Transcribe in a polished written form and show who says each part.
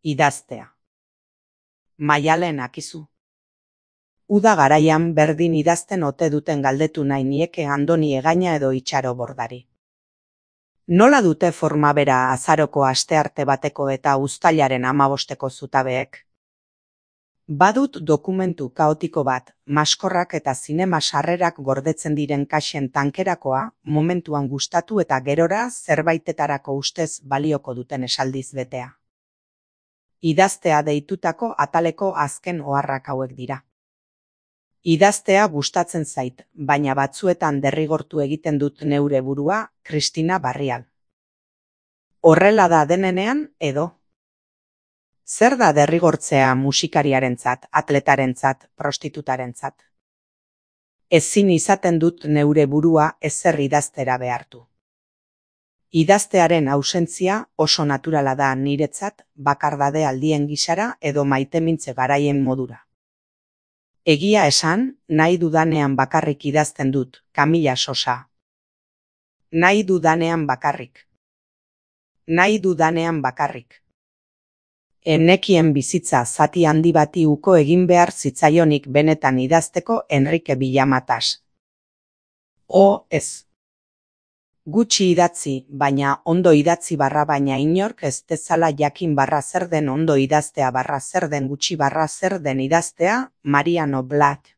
Speaker 1: Idaztea. Maialen akizu. Uda garaian berdin idazten ote duten galdetu nahi nieke Andoni Egaina edo Itxaro Bordari. Nola dute forma bera azaroko astearte bateko eta uztailaren 15eko zutabeek? Badut dokumentu kaotiko bat, maskorrak eta zinema sarrerak gordetzen diren kaxen tankerakoa, momentuan gustatu eta gerora zerbaitetarako ustez balioko duten esaldiz betea. Idaztea deitutako ataleko azken oharrak hauek dira. Idaztea gustatzen zait, baina batzuetan derrigortu egiten dut neure burua, Kristina Barrial. Horrela da denenean edo? Zer da derrigortzea musikariarentzat, atletarentzat, prostitutarentzat? Ezin izaten dut neure burua ezer idaztera behartu. Idaztearen ausentzia oso naturala da niretzat bakardade aldien gisara edo maitemintze garaien modura. Egia esan, nahi dudanean bakarrik idazten dut, Kamila Sosa. Nahi dudanean bakarrik. Nahi dudanean bakarrik. Enekien bizitza zati handi bati uko egin behar zitzaionik benetan idazteko Enrique Villamatas. Ez. Gutxi idatzi, baina ondo idatzi barra baina inork ez dezala jakin barra zer den ondo idaztea barra zer den gutxi barra zer den idaztea, Mariano Blatt.